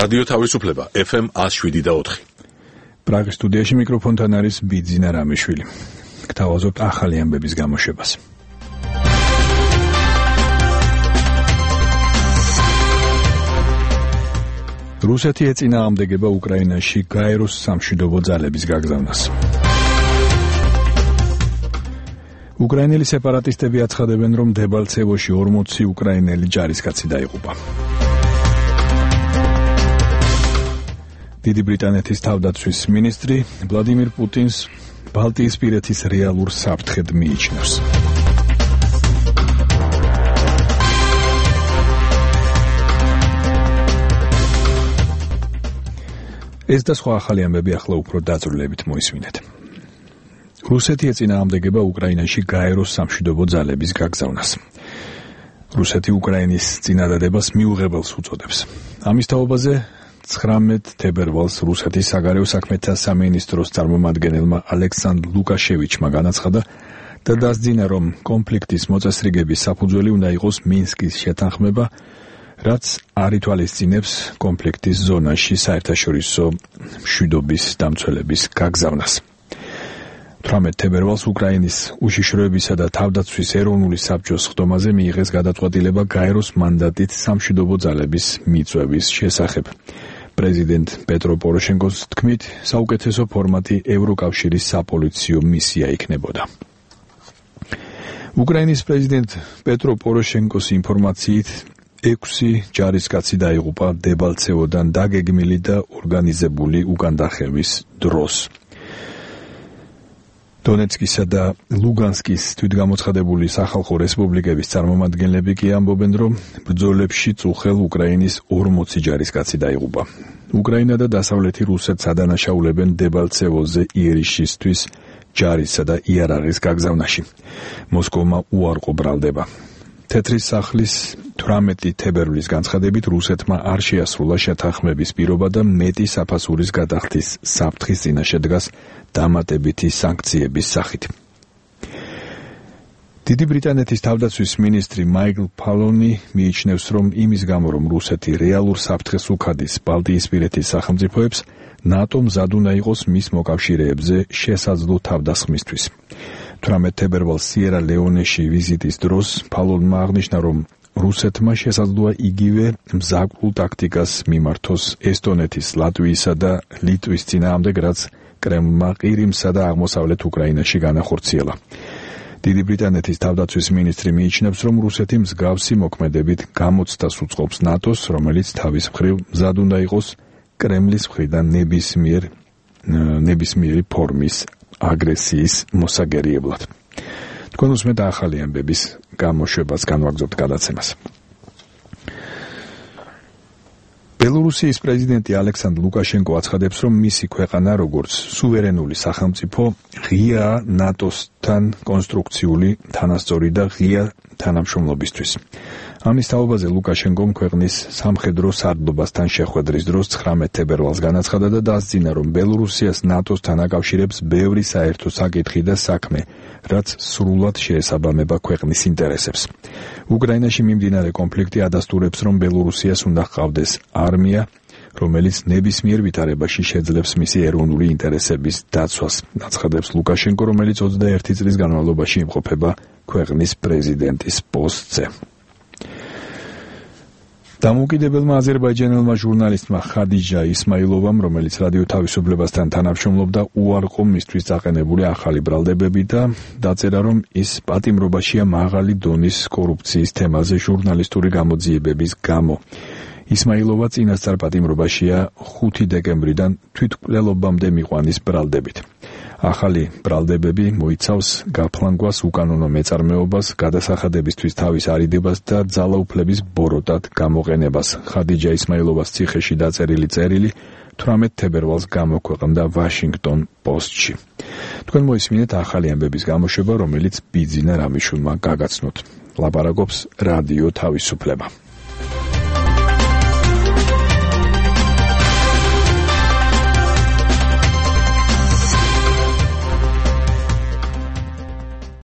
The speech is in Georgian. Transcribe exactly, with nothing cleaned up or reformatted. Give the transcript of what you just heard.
რადიო თავისუფლება ეფ ემ one oh seven point four. პრაღის სტუდიაში მიკროფონთან არის ბიძინა რამიშვილი. გთავაზობთ ახალი ამბების გამოშვებას. რუსეთი ეწინააღმდეგება უკრაინაში გაეროს სამშვიდობო ძალების გაგზავნას. უკრაინელი სეპარატისტები აცხადებენ, რომ დებალცევოში ორმოცი უკრაინელი ჯარისკაცი დაიღუპა. დიდი ბრიტანეთის თავდაცვის მინისტრი ვლადიმირ პუტინს ბალტიისპირეთის რეალურ საფრთხედ მიიჩნევს. ეს და სხვა ახალი ამბები ახლა უფრო დაწვრილებით მოისმინეთ. რუსეთი ეწინააღმდეგება უკრაინაში გაეროს სამშვიდობო ძალების გაგზავნას. რუსეთი უკრაინის წინადადებას მიუღებელს უწოდებს. ამის თაობაზე ცხრამეტ თებერვალს რუსეთის საგარეო საქმეთა სამინისტროს წარმომადგენელმა ალექსანდრ ლუკაშევიჩმა განაცხადა და დასძინა, რომ კონფლიქტის მოწესრიგების საფუძველი უნდა იყოს მინსკის შეთანხმება, რაც არ ითვალისწინებს კონფლიქტის ზონაში საერთაშორისო მშვიდობის დამცველების გაგზავნას. თვრამეტ თებერვალს უკრაინის უშიშროებისა და თავდაცვის ეროვნული საბჭოს ხდომაზე მიიღეს გადაწყვეტილება გაეროს მანდატით სამშვიდობო ძალების მიწვევის შესახებ. პრეზიდენტ პეტრო პოროშენკოს თქმით, საუკეთესო ფორმატი ევროკავშირის საპოლიციო მისია იქნებოდა. უკრაინის პრეზიდენტ პეტრო პოროშენკოს ინფორმაციით ექვსი ჯარისკაცი დაიღუპა დებალცევოდან დაგეგმილი და ორგანიზებული უკანდახევის დროს. დონეცკისა და ლუგანსკის თვითგამოცხადებული სახალხო რესპუბლიკების წარმომადგენლები კი ამბობენ, რომ ბრძოლებში წუხელ უკრაინის ორმოცი ჯარისკაცი დაიღუპა. უკრაინა და დასავლეთი რუსეთს ადანაშაულებენ დებალცევოზე იერიშისთვის ჯარისა და იარაღის გაგზავნაში. მოსკოვმა უარყო ბრალდება. თეთრი სახლის თვრამეტი თებერვლის განცხადებით რუსეთმა არ შეასრულა შეთანხმების პირობა და მეტი საფასურის გადახდის საფრთხის წინაშე დგას დამატებითი სანქციების სახით. დიდი ბრიტანეთის თავდაცვის მინისტრი მაიკლ ფალონი მიიჩნევს, რომ იმის გამო, რომ რუსეთი რეალურ საფრთხეს უხადის ბალტიისპირეთის სახელმწიფოებს, ნატო მზად უნდა იყოს მის მოკავშირეებზე შესაძლო თავდასხმისთვის. თვრამეტ თებერვალს სიერა ლეონეში ვიზიტის დროს ფალონმა აღნიშნა, რომ რუსეთმა შესაძლოა იგივე მზაკვრულ ტაქტიკას მიმართოს ესტონეთის, ლატვიისა და ლიტვის წინააღმდეგ, რაც კრემლმა ყირიმსა და აღმოსავლეთ უკრაინაში განახორციელა. დიდი ბრიტანეთის თავდაცვის მინისტრი მიიჩნევს, რომ რუსეთი მსგავსი მოქმედებით გამოცდას უწყობს ნატოს, რომელიც თავის მხრივ მზად უნდა იყოს კრემლის მხრიდან ნებისმიერ ნებისმიერი ფორმის აგრესიის მოსაგერიებლად. თქვენ უსმენთ ახალი ამბების გამოშვებას, განვაგრძობთ გადაცემას. ბელორუსიის პრეზიდენტი ალექსანდრ ლუკაშენკო აცხადებს, რომ მისი ქვეყანა, როგორც სუვერენული სახელმწიფო, ღიაა ნატოსთან კონსტრუქციული, თანასწორი და ღია თანამშრომლობისთვის. ამის თაობაზე ლუკაშენკომ ქვეყნის სამხედრო სარდლობასთან შეხვედრის დროს ცხრამეტ თებერვალს განაცხადა და დასძინა, რომ ბელორუსიას ნატოსთან აკავშირებს ბევრი საერთო საკითხი და საქმე, რაც სრულად შეესაბამება ქვეყნის ინტერესებს. უკრაინაში მიმდინარე კონფლიქტი ადასტურებს, რომ ბელორუსიას უნდა ჰყავდეს არმია, რომელიც ნებისმიერ ვითარებაში შეძლებს მისი ეროვნული ინტერესების დაცვას, აცხადებს ლუკაშენკო, რომელიც ოცდაერთი წლის განმავლობაში იმყოფება ქვეყნის პრეზიდენტის პოსტზე. დამოუკიდებელმა აზერბაიჯანელმა ჟურნალისტმა ხადიჯა ისმაილოვამ, რომელიც რადიო თავისუფლებასთან თანამშრომლობდა, უარყო მისთვის წაყენებული ახალი ბრალდებები და დაწერა, რომ ის პატიმრობაშია მაღალი დონის კორუფციის თემაზე ჟურნალისტური გამოძიებების გამო. ისმაილოვა წინასწარ პატიმრობაშია ხუთი დეკემბრიდან თვითმკვლელობამდე მიყვანის ბრალდებით. ახალი ბრალდებები მოიცავს გაფლანგვას, უკანონო მეწარმეობას, გადასახადებისთვის თავის არიდებას და ძალაუფლების ბოროტად გამოყენებას. ხადიჯა ისმაილოვას ციხეში დაწერილი წერილი თვრამეტ თებერვალს გამოქვეყნდა ვაშინგტონ პოსტში. თქვენ მოისმინეთ ახალი ამბების გამოშვება, რომელიც ბიძინა რამიშვილმა გაგაცნოთ. ლაპარაკობს რადიო თავისუფლება.